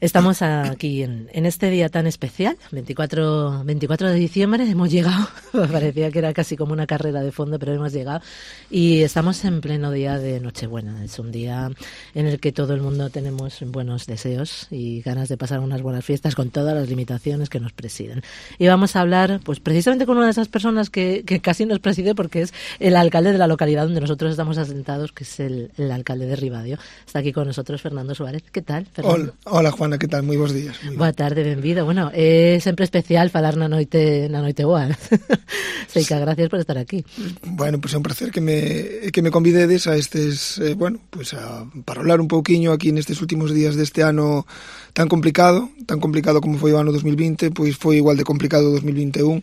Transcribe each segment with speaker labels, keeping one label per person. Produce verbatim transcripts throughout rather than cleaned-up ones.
Speaker 1: Estamos aquí en, en este día tan especial, veinticuatro, veinticuatro de diciembre, hemos llegado, parecía que era casi como una carrera de fondo, pero hemos llegado y estamos en pleno día de Nochebuena. Es un día en el que todo el mundo tenemos buenos deseos y ganas de pasar unas buenas fiestas con todas las limitaciones que nos presiden. Y vamos a hablar pues precisamente con una de esas personas que, que casi nos preside, porque es el alcalde de la localidad donde nosotros estamos asentados, que es el, el alcalde de Ribadeo. Está aquí con nosotros Fernando Suárez. ¿Qué tal, Fernando?
Speaker 2: Hola, hola Juana, ¿qué tal? Moi bons días.
Speaker 1: Boa tarde, benvido. Bueno, é sempre especial falar na noite na noite boa. Sei que gracias por estar aquí.
Speaker 2: Bueno, pues é un placer que me que me convidedes a estes, eh, bueno, pues a para hablar un pouquiño aquí nestes últimos días deste ano tan complicado, tan complicado como foi o ano dos mil vinte, pois foi igual de complicado o dos mil vinte e un.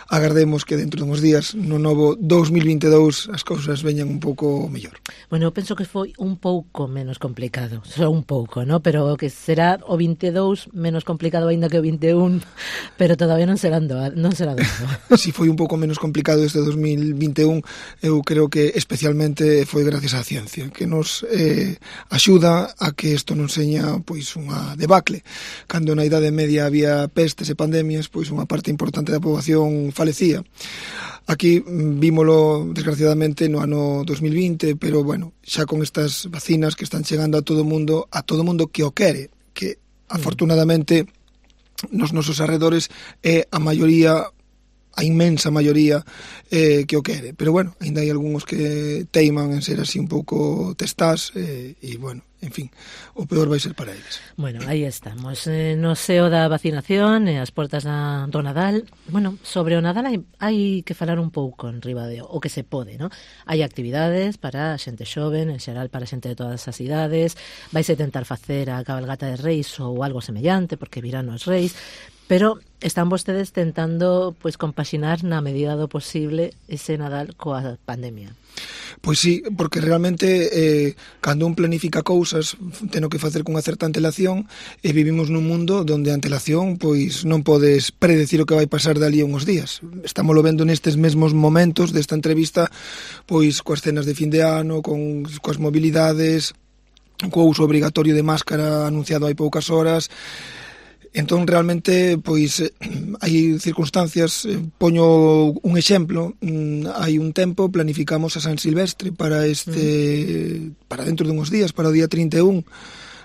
Speaker 2: Agardemos que dentro de uns días no novo dos mil vinte e dous as cousas veñan un pouco mellor.
Speaker 1: Bueno, eu penso que foi un pouco menos complicado, só un pouco, ¿no? Pero que será o vinte e dous menos complicado aínda que o vinte e un, pero todavía non será doado, non será doado.
Speaker 2: Si foi un pouco menos complicado este dos mil vinte e un, eu creo que especialmente foi gracias á ciencia, que nos eh, axuda a que isto non seña pois unha debacle. Cando na Idade Media había pestes e pandemias, pois unha parte importante da poboación falecía. Aquí vímolo desgraciadamente no ano dos mil vinte, pero bueno, xa con estas vacinas que están chegando a todo o mundo, a todo o mundo que o quere, que afortunadamente nos nosos arredores é a maioría, a inmensa maioría eh, que o quere. Pero bueno, ainda hai algúns que teiman en ser así un pouco testás eh, e bueno, en fin, o peor vai ser para eles.
Speaker 1: Bueno, aí estamos, eh, no seo da vacinación e as portas da, do Nadal. Bueno, sobre o Nadal hai, hai que falar un pouco en Ribadeo, o que se pode, ¿no? Hai actividades para a xente xoven, en xeral para a xente de todas as idades, vaise tentar facer a cabalgata de Reis ou algo semellante, porque virán os Reis, pero están vostedes tentando pois compaxinar na medida do posible ese Nadal coa pandemia.
Speaker 2: Pois sí, porque realmente eh, cando un planifica cousas teno que facer cunha certa antelación e vivimos nun mundo onde a antelación pois non podes predecir o que vai pasar dali a uns días. Estámoslo vendo nestes mesmos momentos desta entrevista pois coas cenas de fin de ano, con coas mobilidades, co uso obrigatorio de máscara anunciado hai poucas horas. Entón, realmente, pois, hai circunstancias, poño un exemplo, hai un tempo planificamos a San Silvestre para este, para dentro de uns días, para o día trinta e un,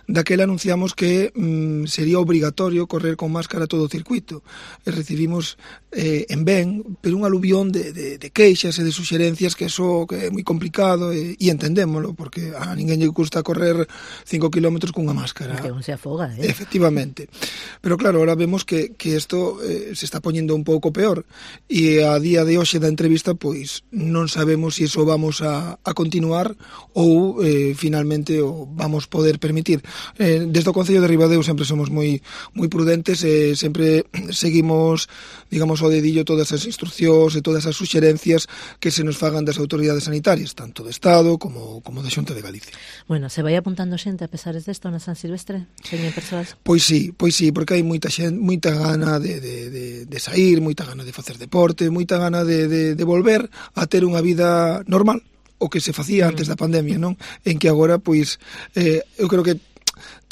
Speaker 2: daquela anunciamos que mm, sería obrigatorio correr con máscara todo o circuito. E recibimos eh, en ben, pero un aluvión de, de, de queixas e de suxerencias que eso que é moi complicado e, e entendémolo, porque a ninguén lle gusta correr cinco kilómetros cunha máscara.
Speaker 1: Que non se afoga, eh?
Speaker 2: Efectivamente. Pero claro, ahora vemos que, que isto eh, se está poñendo un pouco peor e a día de hoxe da entrevista pois non sabemos se iso vamos a, a continuar ou eh, finalmente o vamos poder permitir. Eh, desde o Concello de Ribadeo sempre somos moi moi prudentes e sempre seguimos, digamos, ao dedillo todas as instruccións e todas as suxerencias que se nos fagan das autoridades sanitarias, tanto do Estado como, como da Xunta de Galicia.
Speaker 1: Bueno, se vai apuntando xente a pesares desto na San Silvestre? Señor persoas?
Speaker 2: Pois sí, pois sí, porque hai moita xente, moita gana de, de, de, de sair, moita gana de facer deporte, moita gana de, de, de volver a ter unha vida normal, o que se facía antes da pandemia, non? En que agora, pois, eh, eu creo que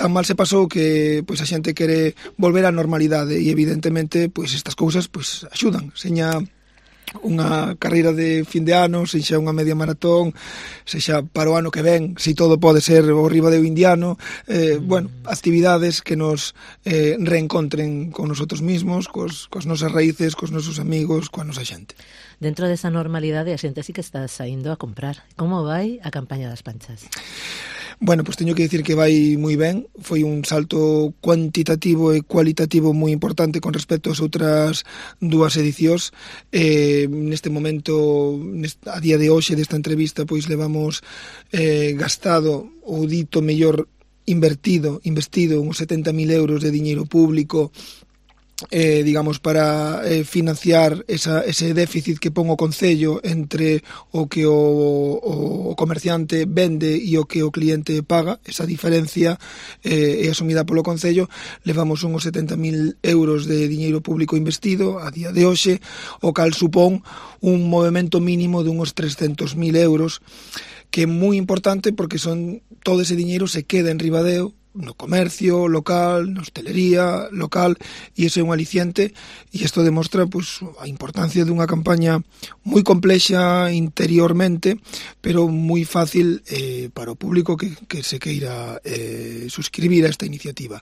Speaker 2: tan mal se pasou que pois a xente quere volver á normalidade e evidentemente pois estas cousas pois axudan, seña unha carreira de fin de ano, sexa unha media maratón, sexa para o ano que ven, se todo pode ser o Ribadeo indiano, eh, bueno, actividades que nos eh, reencontren con nosotros mismos, cos, cos nosas raíces, cos nosos amigos, coa nosa xente.
Speaker 1: Dentro desa normalidade a xente sí que está saindo a comprar. Como vai a campaña das panchas?
Speaker 2: Bueno, pois teño que dicir que vai moi ben. Foi un salto cuantitativo e cualitativo moi importante con respecto ás outras dúas edicións. Eh, neste momento, a día de hoxe desta entrevista, pois levamos eh, gastado o dito mellor invertido, investido uns setenta mil euros de diñeiro público eh, digamos, para eh, financiar esa, ese déficit que pon o Concello entre o que o, o comerciante vende e o que o cliente paga. Esa diferencia eh, é asumida polo Concello. Levamos uns setenta mil euros de diñeiro público investido a día de hoxe, o cal supón un movimento mínimo de uns trescentos mil euros, que é moi importante porque son todo ese diñeiro se queda en Ribadeo no comercio local, na hostelería local, e iso é un aliciente, e isto demostra pues, a importancia dunha campaña moi complexa interiormente, pero moi fácil eh, para o público que, que se queira eh, suscribir a esta iniciativa.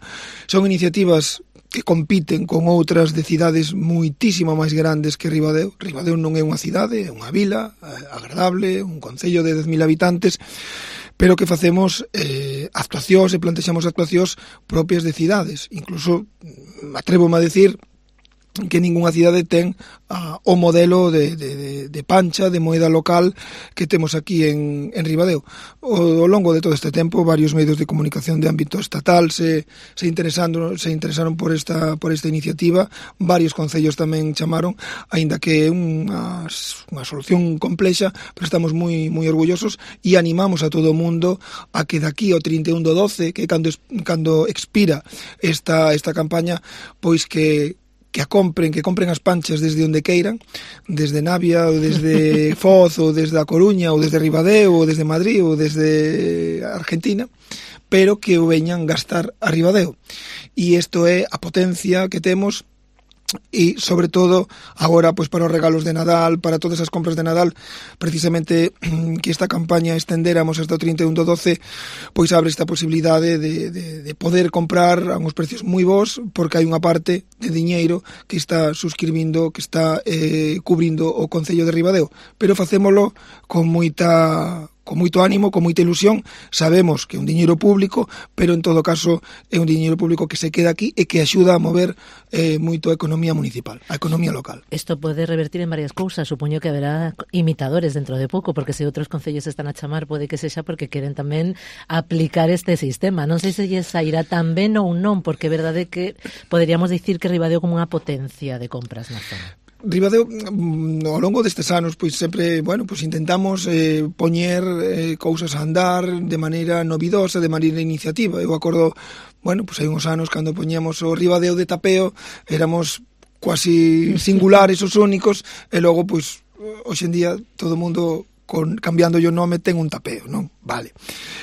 Speaker 2: Son iniciativas que compiten con outras de cidades moitísimo máis grandes que Ribadeo. Ribadeo non é unha cidade, é unha vila eh, agradable, un concello de dez mil habitantes, pero que facemos eh, actuacións e plantexamos actuacións propias de cidades. Incluso, atrévome a decir, que ningunha cidade ten ah, o modelo de, de, de pancha, de moeda local que temos aquí en, en Ribadeo. O, ao longo de todo este tempo, varios medios de comunicación de ámbito estatal se, se, interesando, se interesaron por esta, por esta iniciativa, varios concellos tamén chamaron, aínda que é unha, unha solución complexa, pero estamos moi, moi orgullosos e animamos a todo o mundo a que daqui ao trinta e un do doce, que cando, cando expira esta, esta campaña, pois que que a compren, que compren as panchas desde onde queiran, desde Navia, ou desde Foz, ou desde a Coruña, ou desde Ribadeo, ou desde Madrid, ou desde Argentina, pero que o veñan gastar a Ribadeo. E isto é a potencia que temos, e sobre todo agora pois para os regalos de Nadal, para todas as compras de Nadal, precisamente que esta campaña estendéramos hasta o trinta e un do doce, pois abre esta posibilidade de, de, de poder comprar a uns precios moi bons, porque hai unha parte de diñeiro que está suscribindo, que está eh, cubrindo o Concello de Ribadeo, pero facémolo con moita con moito ánimo, con moita ilusión. Sabemos que é un diñeiro público, pero en todo caso é un diñeiro público que se queda aquí e que axuda a mover eh, moito a economía municipal, a economía local.
Speaker 1: Isto pode revertir en varias cousas. Supoño que haberá imitadores dentro de pouco, porque se outros concellos están a chamar, pode que sexa porque queren tamén aplicar este sistema. Non sei se lle sairá tan ben ou non, porque é verdade que poderíamos dicir que Ribadeo como unha potencia de compras na zona.
Speaker 2: Ribadeo, ao longo destes anos, pois sempre, bueno, pois intentamos eh, poñer eh, cousas a andar de maneira novidosa, de maneira iniciativa. Eu acordo, bueno, pois hai uns anos cando poñíamos o Ribadeo de tapeo, éramos quasi singulares os únicos, e logo, pois, hoxe en día todo o mundo con, cambiando o nome ten un tapeo, non? Vale.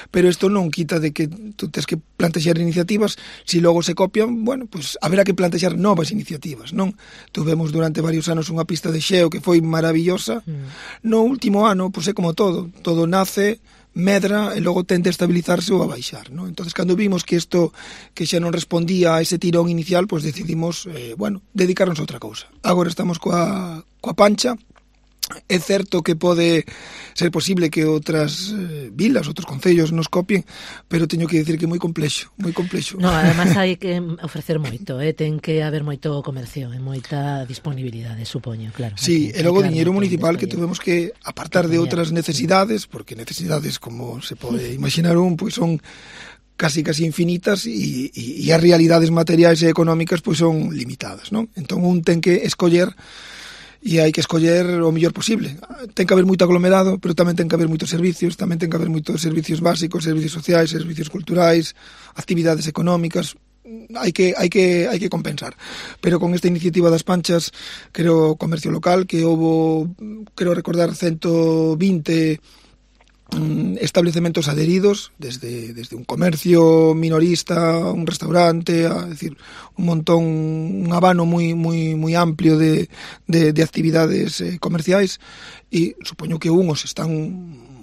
Speaker 2: Pero isto non quita de que tú tens que plantexar iniciativas, se si logo se copian, bueno, pues haberá que plantexar novas iniciativas, non? Tuvemos durante varios anos unha pista de xeo que foi maravillosa. Mm. No último ano, pois é como todo, todo nace, medra e logo tende a estabilizarse ou a baixar, non? Entonces, cando vimos que isto que xa non respondía a ese tirón inicial, pois decidimos, eh, bueno, dedicarnos a outra cousa. Agora estamos coa, coa pancha. É certo que pode ser posible que outras eh, vilas, outros concellos nos copien, pero teño que dicir que é moi complexo, moi complexo.
Speaker 1: No, además hai que ofrecer moito, eh? Ten que haber moito comercio e moita disponibilidade, supoño, claro.
Speaker 2: Sí, e logo diñeiro municipal que tuvemos que apartar de outras necesidades, porque necesidades, como se pode imaginar un, pois son casi casi infinitas e, e, e as realidades materiais e económicas pois son limitadas, non? Entón un ten que escoller e hai que escoller o mellor posible. Ten que haber moito aglomerado, pero tamén ten que haber moitos servicios, tamén ten que haber moitos servicios básicos, servicios sociais, servicios culturais, actividades económicas. Hai que hai que hai que compensar. Pero con esta iniciativa das panchas, creo comercio local, que houbo, creo recordar, ciento vinte establecementos adheridos, desde, desde un comercio minorista, un restaurante, a decir, un montón, un abano moi moi moi amplio de, de, de actividades eh, comerciais, e supoño que uns están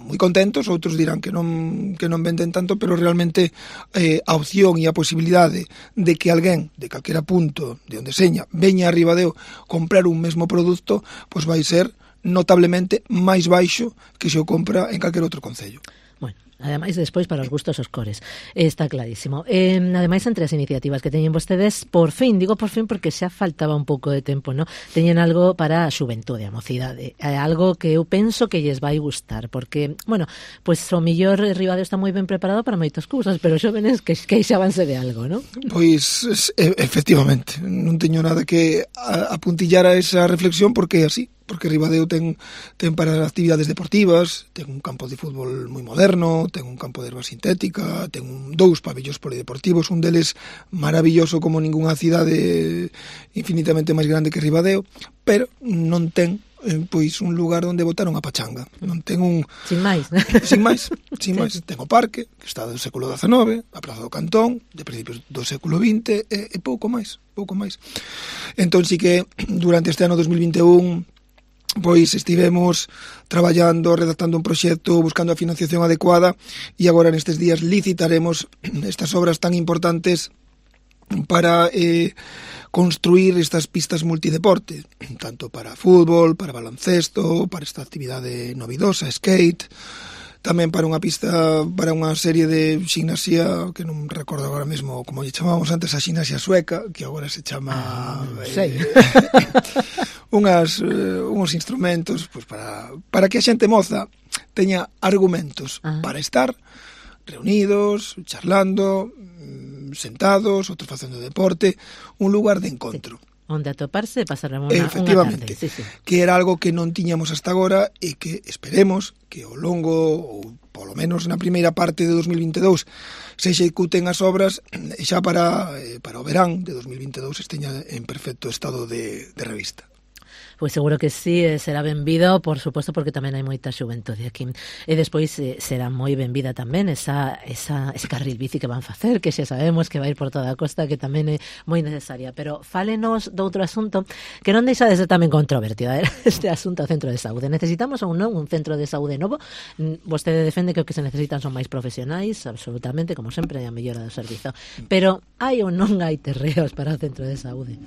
Speaker 2: moi contentos, outros dirán que non que non venden tanto, pero realmente eh, a opción e a posibilidade de que alguén de calquera punto de onde seña veña a Ribadeo comprar un mesmo produto, pois vai ser notablemente máis baixo que se o compra en calquer outro concello.
Speaker 1: Bueno, ademais, despois, para os gustos os cores. Está clarísimo. Eh, ademais, entre as iniciativas que teñen vostedes, por fin, digo por fin porque xa faltaba un pouco de tempo, ¿no? Teñen algo para a xuventude, a mocidade. Eh, algo que eu penso que lles vai gustar, porque, bueno, pues o millor Ribadeo está moi ben preparado para moitas cousas, pero xóvenes que queixábanse de algo, ¿no?
Speaker 2: Pois, efectivamente, non teño nada que apuntillar a esa reflexión porque é así. Porque Ribadeo ten, ten para actividades deportivas, ten un campo de fútbol moi moderno, ten un campo de erva sintética, ten un, dous pabellóns polideportivos, un deles maravilloso como ningunha cidade infinitamente máis grande que Ribadeo, pero non ten eh, pois un lugar onde botar unha pachanga. Non ten un...
Speaker 1: Sin máis.
Speaker 2: Sin máis, sin
Speaker 1: Sí.
Speaker 2: máis. Ten o parque, que está do século dezanove, a Praza do Cantón, de principios do século vinte, e, e pouco máis, pouco máis. Entón, sí que durante este ano dos mil vinte e un, pois estivemos traballando, redactando un proxecto, buscando a financiación adecuada, e agora nestes días licitaremos estas obras tan importantes para eh, construir estas pistas multideporte, tanto para fútbol, para baloncesto, para esta actividade novidosa, skate, tamén para unha pista, para unha serie de ximnasia, que non recordo agora mesmo como lle chamábamos antes, a ximnasia sueca, que agora se chama...
Speaker 1: Ah,
Speaker 2: eh, unhas, eh, uns instrumentos pues, para, para que a xente moza teña argumentos
Speaker 1: ah.
Speaker 2: para estar reunidos, charlando, sentados, outros facendo deporte, un lugar de encontro.
Speaker 1: Sí. Onde atoparse e pasar unha,
Speaker 2: Efectivamente,
Speaker 1: unha tarde. Sí, sí.
Speaker 2: Que era algo que non tiñamos hasta agora e que esperemos que ao longo, ou polo menos na primeira parte de dos mil vinte e dous, se executen as obras e xa para, para o verán de dos mil vinte e dous esteña en perfecto estado de, de revista.
Speaker 1: Pois seguro que sí, eh, será benvido, por suposto, porque tamén hai moita xuventude aquí. E despois eh, será moi benvida tamén esa, esa, ese carril bici que van facer, que xa sabemos que vai por toda a costa, que tamén é moi necesaria. Pero fálenos de outro asunto que non deixa de ser tamén controvertido, eh? Este asunto ao centro de saúde. Necesitamos ou non un centro de saúde novo? Vostede defende que o que se necesitan son máis profesionais, absolutamente, como sempre, a mellora do servizo. Pero hai ou non hai terreos para o centro de saúde?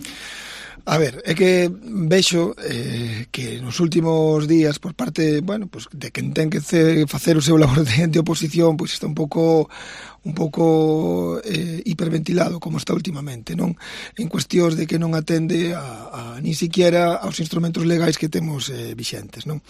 Speaker 2: A ver, é que vexo eh, que nos últimos días por parte, bueno, pues de quen ten que facer o seu labor de, de oposición, pois pues está un pouco un pouco eh, hiperventilado como está últimamente, non? En cuestións de que non atende a, a ni siquiera aos instrumentos legais que temos eh, vixentes, non?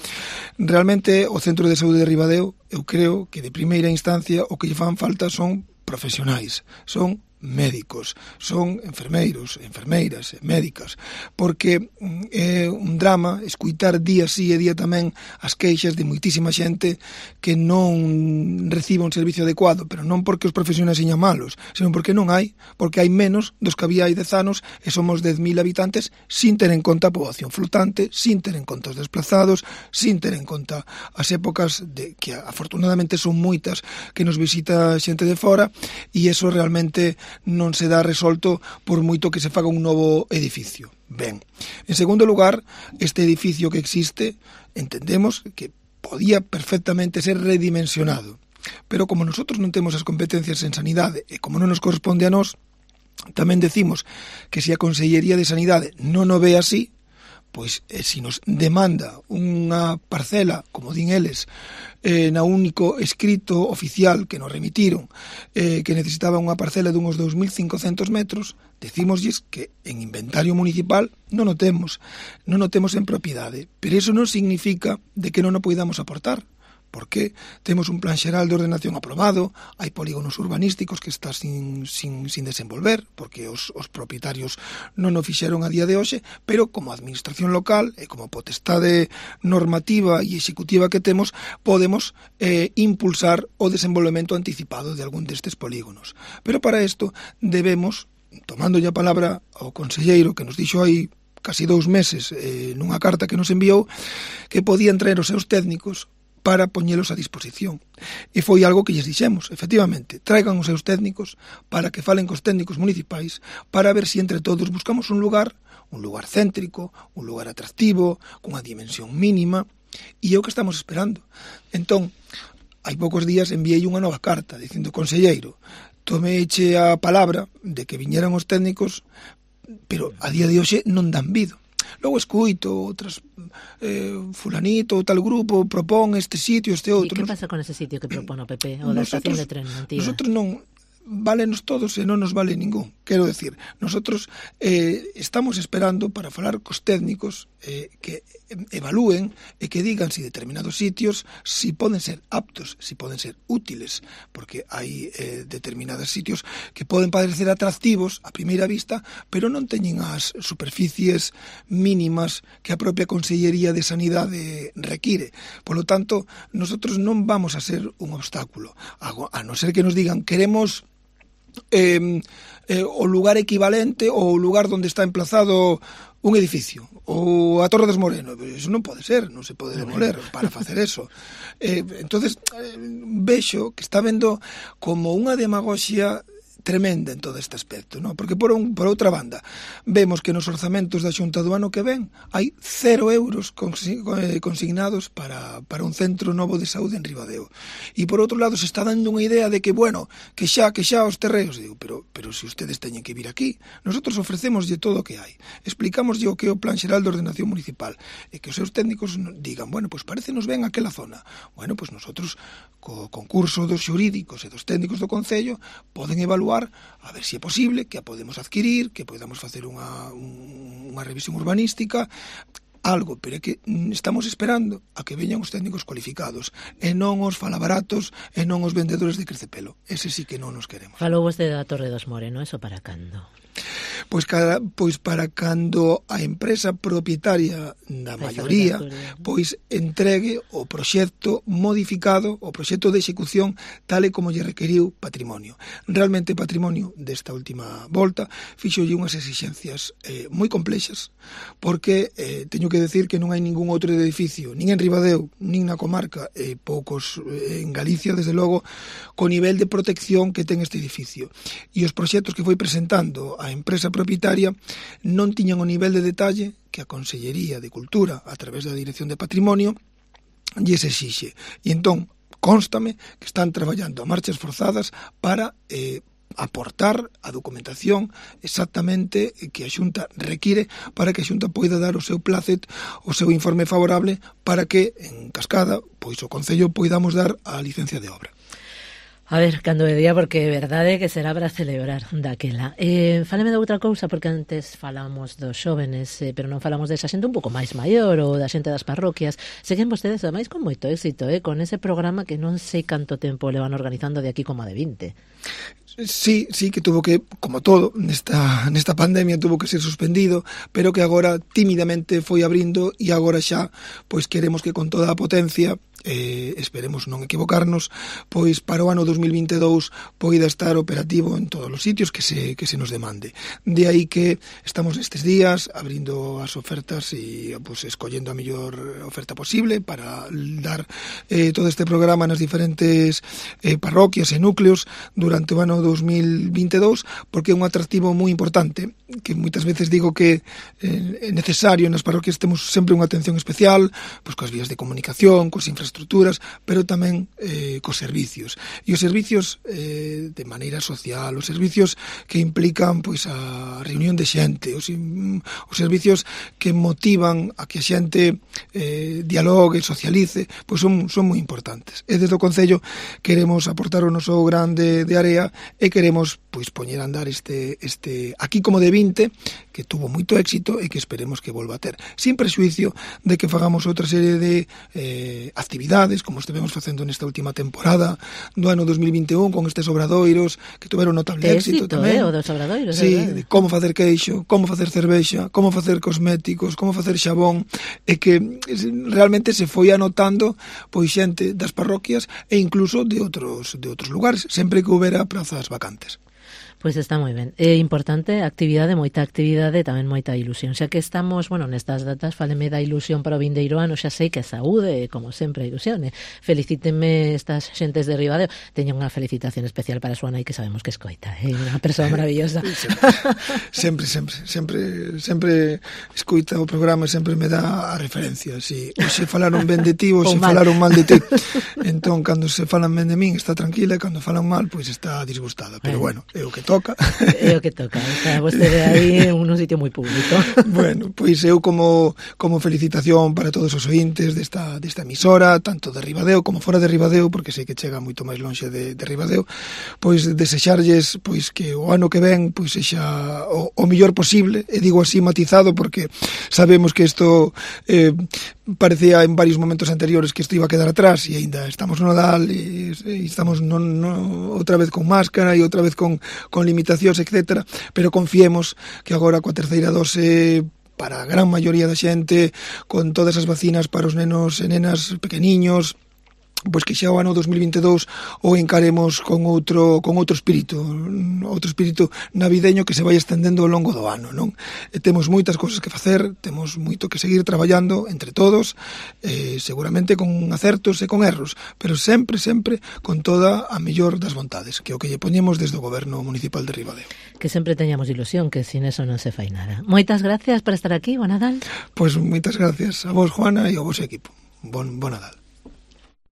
Speaker 2: Realmente o Centro de Saúde de Ribadeo, eu creo que de primeira instancia o que lle fan falta son profesionais, son médicos, son enfermeiros, enfermeiras, médicas, porque é un drama escuitar día sí e día tamén as queixas de moitísima xente que non recibe un servicio adecuado, pero non porque os profesionais señan malos, senón porque non hai, porque hai menos dos que había hai dez anos e somos dez mil habitantes sin ter en conta a poboación flotante, sin ter en conta os desplazados, sin ter en conta as épocas de que afortunadamente son moitas que nos visita xente de fora, e iso realmente non se dá resolto por moito que se faga un novo edificio. Ben, en segundo lugar, este edificio que existe, entendemos que podía perfectamente ser redimensionado, pero como nosotros non temos as competencias en sanidade e como non nos corresponde a nós, tamén decimos que se a Consellería de Sanidade non o ve así, pois eh, se nos demanda unha parcela, como din eles, eh, na único escrito oficial que nos remitiron, eh, que necesitaba unha parcela de uns dous mil cincocentos metros, decímoslles que en inventario municipal non o temos, non o temos en propiedade, pero iso non significa de que non o poidamos aportar, porque temos un plan xeral de ordenación aprobado, hai polígonos urbanísticos que está sin, sin, sin desenvolver, porque os, os propietarios non o fixeron a día de hoxe, pero como administración local e como potestade normativa e executiva que temos, podemos eh, impulsar o desenvolvemento anticipado de algún destes polígonos. Pero para isto debemos, tomando a palabra ao conselleiro que nos dixo aí casi dous meses eh, nunha carta que nos enviou, que podían traer os seus técnicos para poñelos a disposición. E foi algo que lles dixemos, efectivamente, traigan os seus técnicos para que falen cos técnicos municipais, para ver se entre todos buscamos un lugar, un lugar céntrico, un lugar atractivo, cunha dimensión mínima, e é o que estamos esperando. Entón, hai poucos días enviei unha nova carta dicindo, conselleiro, tomeiche a palabra de que viñeran os técnicos, pero a día de hoxe non dan vido. Logo escuito outras eh, fulanito ou tal grupo propón este sitio, este outro.
Speaker 1: E que pasa con ese sitio que propón o P P ou da estación de tren antiga? Nosotros
Speaker 2: non válenos todos e non nos vale ningún. Quero decir, nosotros eh, estamos esperando para falar cos técnicos eh, que evalúen e que digan si determinados sitios si poden ser aptos, si poden ser útiles, porque hai eh, determinados sitios que poden parecer atractivos a primeira vista, pero non teñen as superficies mínimas que a propia Consellería de Sanidade require. Por lo tanto, nosotros non vamos a ser un obstáculo, a non ser que nos digan queremos eh, eh, o lugar equivalente ou o lugar onde está emplazado un edificio, ou a Torre des Moreno. Iso non pode ser, non se pode demoler para facer eso. Eh, entonces eh, vexo que está vendo como unha demagoxia tremenda en todo este aspecto, ¿no? Porque por, un, por outra banda vemos que nos orzamentos da Xunta do ano que ven hai cero euros consignados para, para un centro novo de saúde en Ribadeo, e por outro lado se está dando unha idea de que, bueno, que xa, que xa os terreos. Digo, pero, pero se ustedes teñen que vir aquí, nosotros ofrecemoslle todo o que hai, explicamoslle o que é o Plan Xeral de Ordenación Municipal, e que os seus técnicos digan, bueno, pues parecenos ben aquela zona. Bueno, pues nosotros co concurso dos xurídicos e dos técnicos do Concello poden evaluar a ver se é posible, que a podemos adquirir, que podamos facer unha, unha revisión urbanística, algo, pero é que estamos esperando a que veñan os técnicos cualificados e non os falabaratos e non os vendedores de crecepelo. Ese sí que non nos queremos.
Speaker 1: Falou vostede da Torre dos Moreno, eso para cando?
Speaker 2: Pois, cada, pois para cando a empresa propietaria da maioría pois entregue o proxecto modificado, o proxecto de execución tal e como lle requeriu Patrimonio. Realmente Patrimonio desta última volta fixolle unhas exixencias eh, moi complexas, porque eh, teño que decir que non hai ningún outro edificio, nin en Ribadeo, nin na comarca, e eh, poucos eh, en Galicia, desde logo, co nivel de protección que ten este edificio. E os proxectos que foi presentando a empresa propietaria non tiñan o nivel de detalle que a Consellería de Cultura, a través da Dirección de Patrimonio, lles exixe. E entón, constame que están traballando a marchas forzadas para eh, aportar a documentación exactamente que a Xunta require para que a Xunta poida dar o seu placet, o seu informe favorable, para que, en cascada, pois o Concello poidamos dar a licencia de obra.
Speaker 1: A ver, cando é día, porque é verdade que será para celebrar daquela. Eh, fáleme de outra cousa, porque antes falamos dos xóvenes, eh, pero non falamos desa xente un pouco máis maior, ou da xente das parroquias. Seguen vostedes, ademais, con moito éxito, eh, con ese programa que non sei canto tempo levan organizando de aquí como de vinte.
Speaker 2: Sí, sí, que tuvo que, como todo, nesta, nesta pandemia tuvo que ser suspendido, pero que agora tímidamente foi abrindo, e agora xa, pois queremos que con toda a potencia, eh, esperemos non equivocarnos, pois para o ano dos mil vinte e dous poida estar operativo en todos os sitios que se, que se nos demande. De aí que estamos nestes días abrindo as ofertas e pois, escollendo a mellor oferta posible para dar eh, todo este programa nas diferentes eh, parroquias e núcleos durante o ano dos mil vinte e dous, porque é un atractivo moi importante, que moitas veces digo que eh, é necesario nas parroquias temos sempre unha atención especial, pois coas vías de comunicación, coas infraestructuras, pero tamén eh, cos servicios. E os servicios eh, de maneira social, os servicios que implican pois a reunión de xente, os, os servicios que motivan a que a xente eh, dialogue, socialice, pois son, son moi importantes. E desde o Concello queremos aportar o noso grande de area e queremos pois poñer a andar este, este aquí como de vinte, que tuvo moito éxito e que esperemos que volva a ter, sin prexuicio de que fagamos outra serie de eh, actividades, como estivemos facendo nesta última temporada do ano dos mil vinte e un, con estes obradoiros que tuveron notable éxito, éxito tamén.
Speaker 1: Eh, o dos obradoiros,
Speaker 2: sí, de como facer queixo, como facer cervexa, como facer cosméticos, como facer xabón, e que realmente se foi anotando pois xente das parroquias e incluso de outros de outros lugares, sempre que houbera prazas vacantes.
Speaker 1: Pois está moi ben. É importante, actividade, moita actividade, tamén moita ilusión. Xa que estamos, bueno, nestas datas, fáleme da ilusión para o vindeiro ano, xa sei que a saúde, como sempre, ilusione. Felicítenme estas xentes de Ribadeo. Teño unha felicitación especial para a súa nai, que sabemos que escoita, é unha persoa maravillosa.
Speaker 2: Sempre, sempre, sempre, sempre escoita o programa e sempre me dá a referencia. Si hoxe falaron ben de ti, hoxe falaron mal de ti. Entón, cando se falan ben de min, está tranquila, e cando falan mal, pois está disgustada. Pero bueno, é o que toca.
Speaker 1: É o que toca, está vostede aí en un sitio moi público.
Speaker 2: Bueno, pois eu como como felicitación para todos os ointes desta, desta emisora, tanto de Ribadeo como fora de Ribadeo, porque sei que chega moito máis lonxe de, de Ribadeo, pois desexarlles pois que o ano que ven pois sexa o, o mellor posible, e digo así matizado porque sabemos que isto eh, parecía en varios momentos anteriores que isto iba a quedar atrás, e aínda estamos no Nadal e, e estamos no, no, outra vez con máscara e outra vez con, con limitacións, etcétera, pero confiemos que agora coa terceira dose para a gran maioría da xente, con todas as vacinas para os nenos e nenas pequeniños, pois que xa o ano dos mil vinte e dous o encaremos con outro con outro espírito, outro espírito navideño que se vai estendendo ao longo do ano, non? E temos moitas cousas que facer, temos moito que seguir traballando entre todos, eh, seguramente con acertos e con erros, pero sempre, sempre con toda a mellor das vontades, que é o que lle poñemos desde o Goberno Municipal de Ribadeo.
Speaker 1: Que sempre teñamos ilusión, que sin eso non se fai nada. Moitas gracias por estar aquí, bo Nadal.
Speaker 2: Pois moitas gracias a vos, Juana, e ao vos equipo. Bon, bon Nadal.